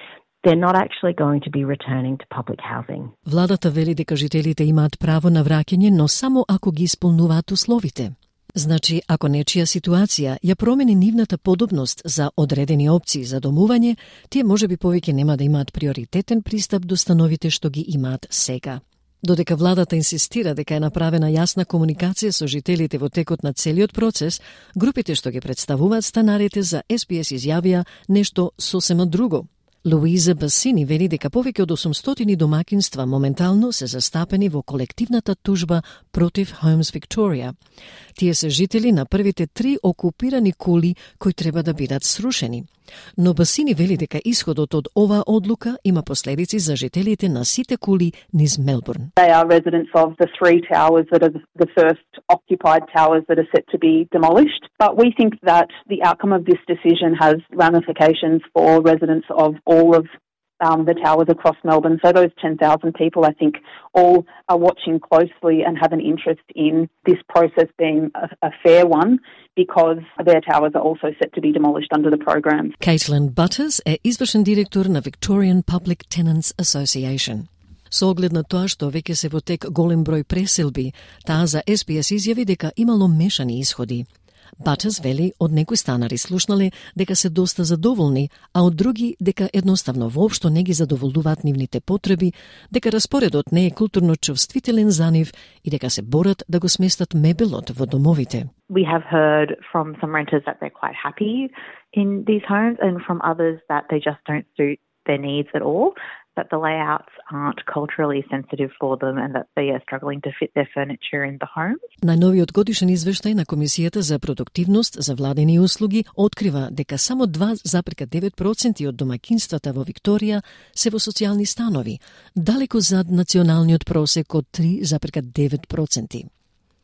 they're not actually going to be returning to public housing. Владата вели дека жителите имаат право на враќање, но само ако ги исполнуваат условите. Значи, ако нечија ситуација ја промени нивната подобност за одредени опции за домување, тие можеби повеќе нема да имаат приоритетен пристап до становите што ги имаат сега. Додека владата инсистира дека е направена јасна комуникација со жителите во текот на целиот процес, групите што ги представуваат станарите за Ес Би Ес изјавија нешто сосема друго. Луиза Басини вели дека повеќе од осумстотини домакинства моментално се застапени во колективната тужба против Homes Victoria. Тие се жители на првите три окупирани кули кои треба да бидат срушени. Но Басини вели дека исходот од оваа одлука има последици за жителите на сите кули низ Мелбурн. They are residents of the three towers that are the first occupied towers that are set to be demolished. But we think that the outcome of this decision has ramifications for residents of all of um, the towers across Melbourne. So those ten thousand people, I think, all are watching closely and have an interest in this process being a, a fair one, because their towers are also set to be demolished under the program. Caitlin Butters е извршен директор на Victorian Public Tenants Association. Со оглед на тоа што веќе се во тек голем број преселби, таа за Ес Би Ес изјави дека имало мешани исходи. Батес вели од некои станари слушнале дека се доста задоволни, а од други дека едноставно воопшто не ги задоволуваат нивните потреби, дека распоредот не е културно чувствителен за нив и дека се борат да го сместат мебелот во домовите. We have heard from some renters that they're quite happy in these homes, and from others that they just don't suit their needs at all, that the layouts aren't culturally sensitive for them and that they are struggling to fit their furniture in the home. Најновиот годишен извештај на Комисијата за продуктивност за владени услуги открива дека само два запирка девет проценти од домакинствата во Викторија се во социјални станови, далеко зад националниот просек од три запирка девет проценти.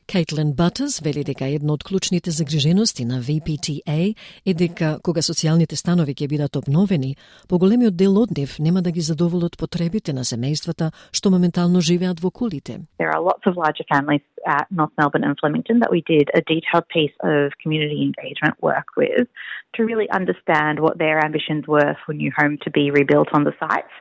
Caitlin Butters вели дека една од клучните загрижености на Ви Пи Ти Ей е дека кога социјалните станови ќе бидат обновени, поголемиот дел од нив нема да ги задоволат потребите на семејствата што моментално живеат во кулите. There are lots of larger families at North Melbourne and Flemington that we did a detailed piece of community engagement work with to really understand what their ambitions were for new home to be rebuilt on the sites.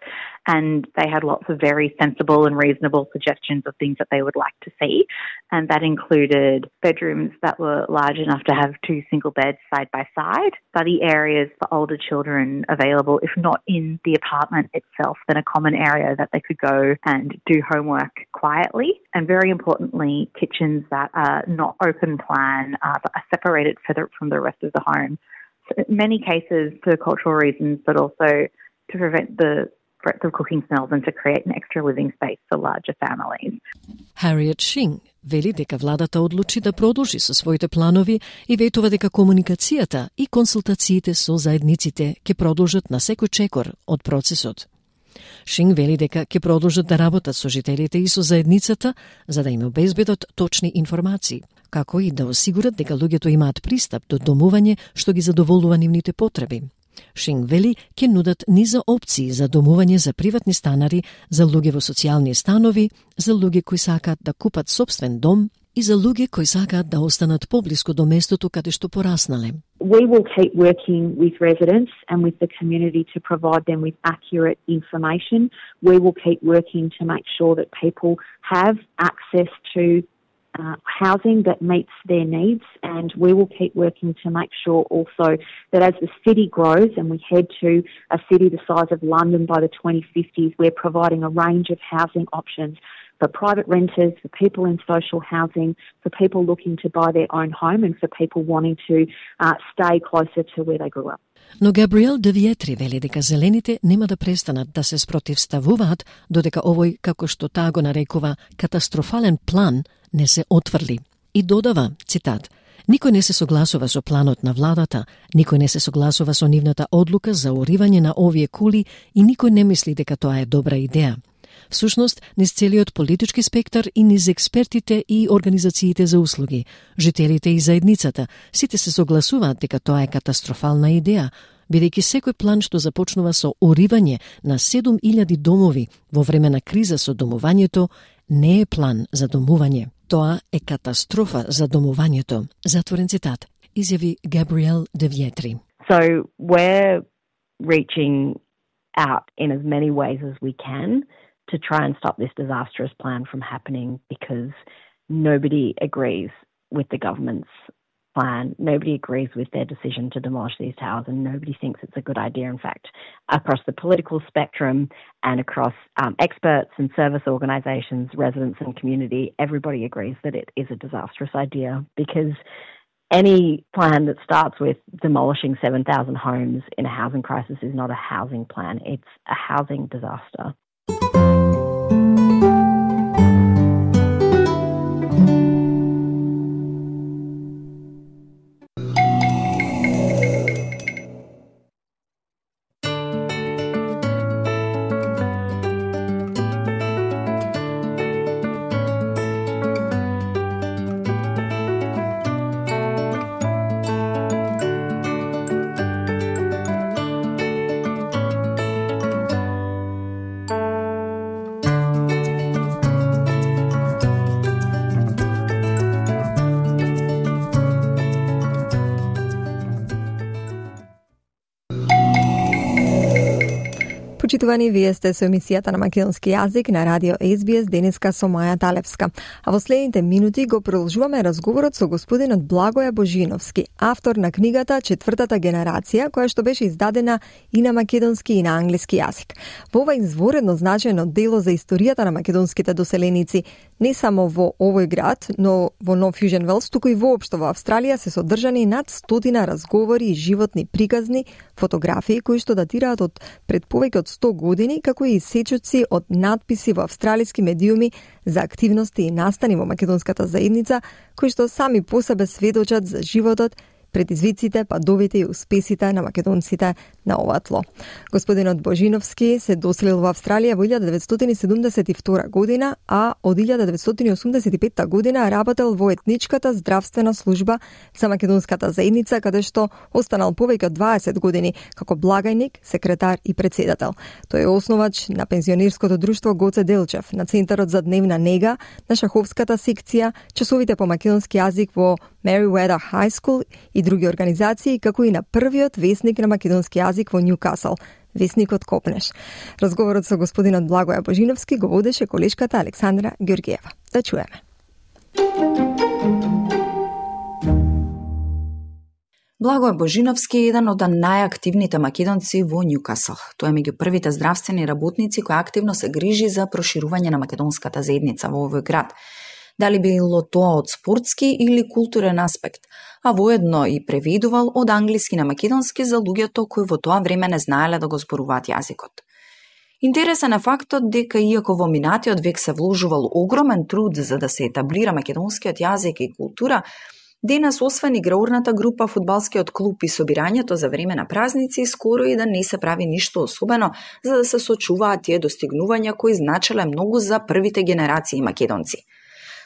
And they had lots of very sensible and reasonable suggestions of things that they would like to see. And that included bedrooms that were large enough to have two single beds side by side, study areas for older children available, if not in the apartment itself, then a common area that they could go and do homework quietly. And very importantly, kitchens that are not open plan, uh, but are separated from the rest of the home. So in many cases for cultural reasons, but also to prevent the breadth of cooking smells and to create an extra living space for larger families. Harriet Shing вели дека владата одлучи да продолжи со своите планови и ветува дека комуникацијата и консултациите со заедниците ќе продолжат на секој чекор од процесот. Шин вели дека ќе продолжат да работат со жителите и со заедницата за да им обезбедат точни информации, како и да осигурат дека луѓето имаат пристап до домување што ги задоволува нивните потреби. Шин вели ќе нудат низа опции за домување за приватни станари, за луѓе во социјални станови, за луѓе кои сакаат да купат собствен дом и за луѓе кои сакаат да останат поблиску до местото каде што пораснале. We will keep working with residents and with the community to provide them with accurate information. We will keep working to make sure that people have access to Uh, housing that meets their needs, and we will keep working to make sure also that as the city grows and we head to a city the size of London by the twenty fifties, we're providing a range of housing options for private renters, for people in social housing, for people looking to buy their own home, and for people wanting to uh, stay closer to where they grew up. Но Габриел де Виетри вели дека зелените нема да престанат да се спротивставуваат додека овој, како што таа го нарекува, катастрофален план не се отврли. И додава, цитат, никој не се согласува со планот на владата, никој не се согласува со нивната одлука за уривање на овие кули и никој не мисли дека тоа е добра идеја. Всушност, низ целиот политички спектар и низ експертите и организациите за услуги, жителите и заедницата, сите се согласуваат дека тоа е катастрофална идеја, бидејќи секој план што започнува со уривање на седум илјади домови во време на криза со домувањето, не е план за домување. Тоа е катастрофа за домувањето. Затворен цитат, изјави Габриел де Виетри. So we're reaching out in as many ways as we can to try and stop this disastrous plan from happening, because nobody agrees with the government's plan. Nobody agrees with their decision to demolish these towers, and nobody thinks it's a good idea. In fact, across the political spectrum and across um, experts and service organisations, residents and community, everybody agrees that it is a disastrous idea, because any plan that starts with demolishing seven thousand homes in a housing crisis is not a housing plan. It's a housing disaster. Почитувани, вие сте со емисијата на македонски јазик на радио Ес Би Ес денеска со Маја Талевска. А во следните минути го продолжуваме разговорот со господинот Благоја Божиновски, автор на книгата Четвртата генерација, која што беше издадена и на македонски и на англиски јазик. Во ова изворедно значајно дело за историјата на македонските доселеници, не само во овој град, но во Нов Јужен Велс, туку и воопшто во Австралија се содржани над стотина разговори и животни приказни, фотографии кои што датираат од пред повеќе од сто години, како и сечоци од надписи во австралиски медиуми за активности и настани во македонската заедница, кои што сами по себе сведочат за животот, предизвиците, падовите и успесите на македонците на ова тло. Господинот Божиновски се доселил во Австралија во илјада деветстотини седумдесет и втора година, а од илјада деветстотини осумдесет и петта година работел во етничката здравствена служба за македонската заедница, каде што останал повеќе од дваесет години како благајник, секретар и председател. Тој е основач на пензионерското друштво Гоце Делчев, на Центарот за дневна нега, на шаховската секција, часовите по македонски јазик во Merriweather High School и други организации, како и на првиот весник на македонски јазик во Нјукасл, весникот Копнеш. Разговорот со господинот Благоја Божиновски го водеше колешката Александра Ѓоргиева. Да чуеме. Благоја Божиновски е еден од најактивните македонци во Нјукасл. Тој е меѓу првите здравствени работници кои активно се грижи за проширување на македонската заедница во овој град. Дали било тоа од спортски или културен аспект, а воедно и преведувал од англиски на македонски за луѓето кои во тоа време не знаеле да го зборуваат јазикот. Интересен е фактот дека иако во минатиот век се вложувал огромен труд за да се етаблира македонскиот јазик и култура, денес освен играорната група, фудбалскиот клуб и собирањето за време на празници, скоро и да не се прави ништо особено за да се сочуваат тие достигнувања кои значеле многу за првите генерации македонци.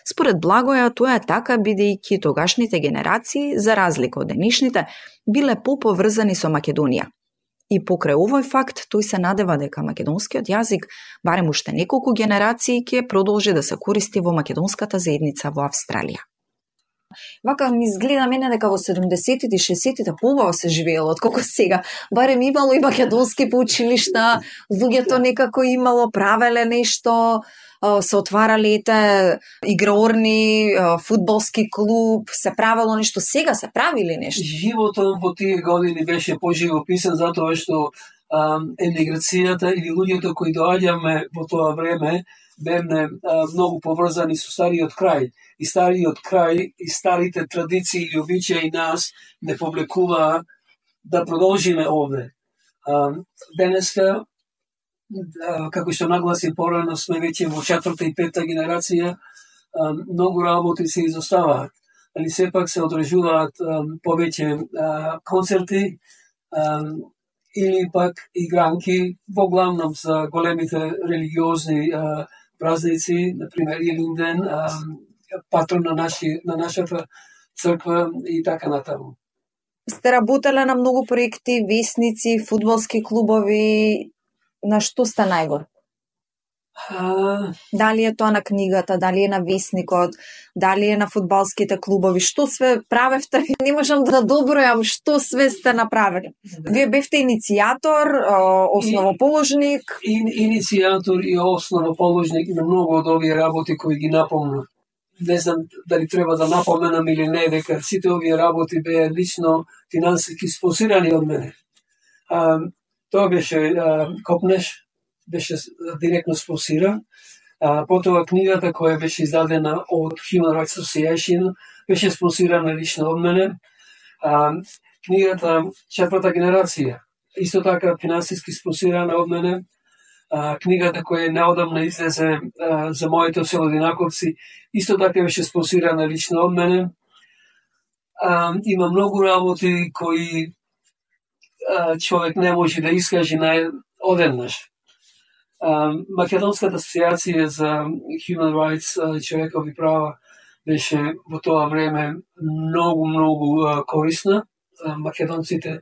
Според Благоја, тоа е така бидејќи тогашните генерации, за разлика од денешните, биле поповрзани со Македонија. И покрај овој факт, тој се надева дека македонскиот јазик, барем уште неколку генерации, ќе продолжи да се користи во македонската заедница во Австралија. Вака ми изгледа мене дека во седумдесетите и шеесеттите побаво се живеело отколку сега. Барем имало и македонски по училишта, луѓето некако имало, правеле нешто, се отварале ете играорни, фудбалски клуб, се правело нешто. Сега се правили нешто? Животот во тие години беше поживописан затоа што емиграцијата или луѓето кои доаѓаме во тоа време бевме многу поврзани со стариот крај. И стариот крај и старите традиции и обичаи нас не повлекуваа да продолжиме овде. Денеска, како што нагласи порано, сме веќе во четврта и петта генерација, многу работи се изоставаат. Али сепак се одржуваат повеќе концерти или пак игранки, во главном за големите религиозни празници, например Илинден, патрон на, наши, на нашата црква и така натаму. Сте работеле на многу проекти, весници, фудбалски клубови, на што сте најгор? А... Дали е тоа на книгата, дали е на весникот, дали е на фудбалските клубови, што све правевте? Не можам да добројам што све сте направили. Да. Вие бевте иницијатор, основоположник? И, иницијатор и основоположник на многу од овие работи кои ги напомнав. Не знам дали треба да напоменам или не, дека сите овие работи беа лично финансиски спонсирани од мене. А, тоа беше а, Копнеш, беше директно спонсиран. А, потоа книгата која беше издадена од Human Rights Association беше спонсирана лично од мене. А, книгата Четврта генерација, исто така финансиски спонсирана од мене. А, книгата која неодамна излезе а, за моите селодинаковци, исто така беше спонсирана лично од мене. А, има многу работи кои а, човек не може да искаже на одеднаш. А, Македонската асоциација за Human Rights, човекови права, беше во тоа време многу, многу а, корисна за македонците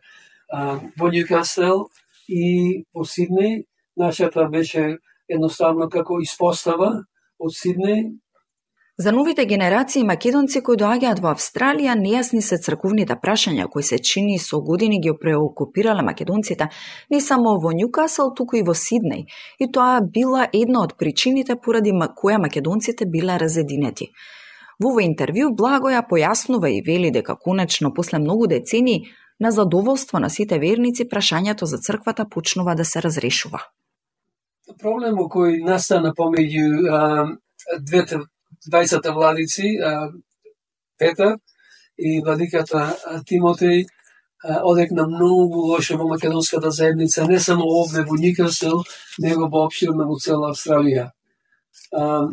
а, во Ньюкасел и во Сиднеј. Нашата беше едноставно како испостава од Сиднеј. За новите генерации македонци кои доаѓаат во Австралија, нејасни се црковните прашања кои се чини со години ги преокупирале македонците не само во Ньюкасел, туку и во Сиднеј. И тоа била една од причините поради која македонците биле разединети. Во овој интервју Благоја појаснува и вели дека конечно после многу децении на задоволство на сите верници прашањето за црквата почнува да се разрешува. Проблемот кој настана помеѓу двете двајцата владици, а, Петар и владиката Тимотеј, одекна многу лошо во македонската заедница, не само овде во Ньюкасел, него воопштирно во цела Австралија. А,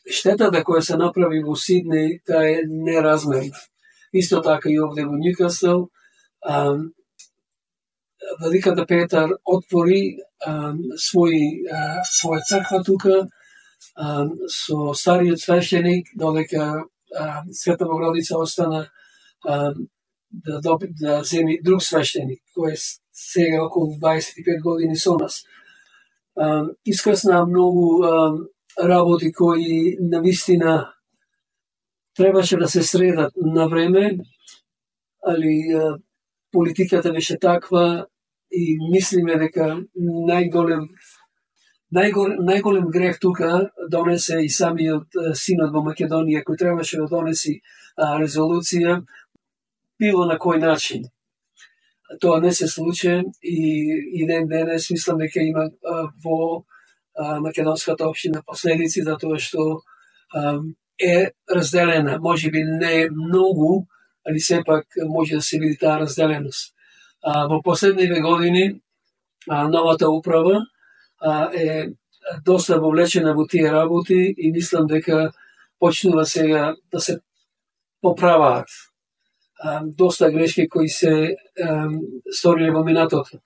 штетата која се направи во Сиднеј, таа е неразмерна. Исто така и овде во Ньюкасел, а, владиката Петар отвори а, свој, а, своја црква тука, а, со стариот свештеник, додека а, Света Богородица остана а, да, доби, да земи друг свештеник, кој е сега околу дваесет и пет години со нас. А, искрсна многу а, работи кои навистина требаше да се средат на време, али а, политиката беше таква и мислиме дека најголем најголем, најголем грех тука донесе и самиот синод во Македонија, кој требаше да донеси а, резолуција, било на кој начин. Тоа не се случи и, и ден денес мислам дека има а, во а, македонската општина последици, затоа што а, е разделена, може би не многу, али сепак може да се види таа разделеност. А, во последниве години а, новата управа а, е доста вовлечена во тие работи и мислам дека почнува сега да се поправаат а, доста грешки кои се а, сториле во минатото.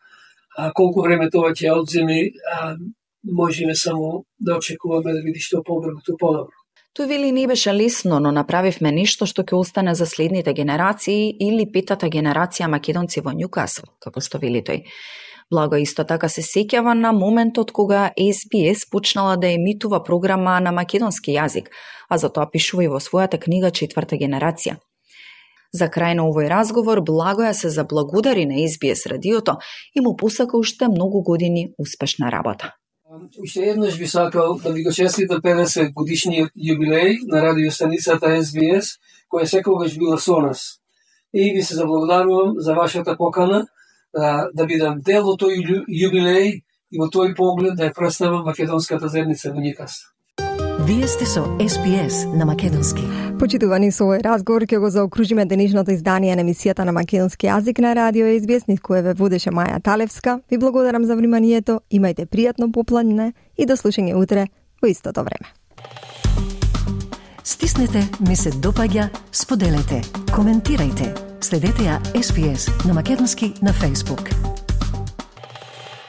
А, колку време тоа ќе одземи, а, можеме само да очекуваме да види што побрзо, тоа подобро. Тој вели не беше лесно, но направивме нешто што ќе остане за следните генерации или петата генерација македонци во Ньюкасел, како што вели тој. Благо исто така се сеќава на моментот кога Ес Би Ес почнала да емитува програма на македонски јазик, а за тоа пишува и во својата книга Четврта генерација. За крај на овој разговор Благоја се заблагодари на Ес Би Ес радиото и му посака уште многу години успешна работа. Уште еднаш би сакал да ви го честитам педесет годишниот јубилеј на радиостаницата Ес Би Ес, која секогаш била со нас. И ви се заблагодарувам за вашата покана да, да бидам дел од тој јубилеј и во тој поглед да ја представам македонската заедница во Ньюкасел. Вие сте со Ес Би Ес на македонски. Почитувани, со овој разговор ќе го заокружиме денешното издание на емисијата на македонски јазик на радио Ес Би Ес, низ која ве водеше Маја Талевска. Ви благодарам за вниманието, имајте пријатно попладне и до слушање утре во истото време. Стиснете, ми се допаѓа, споделете, коментирајте. Следете ја Ес Би Ес на македонски на Facebook.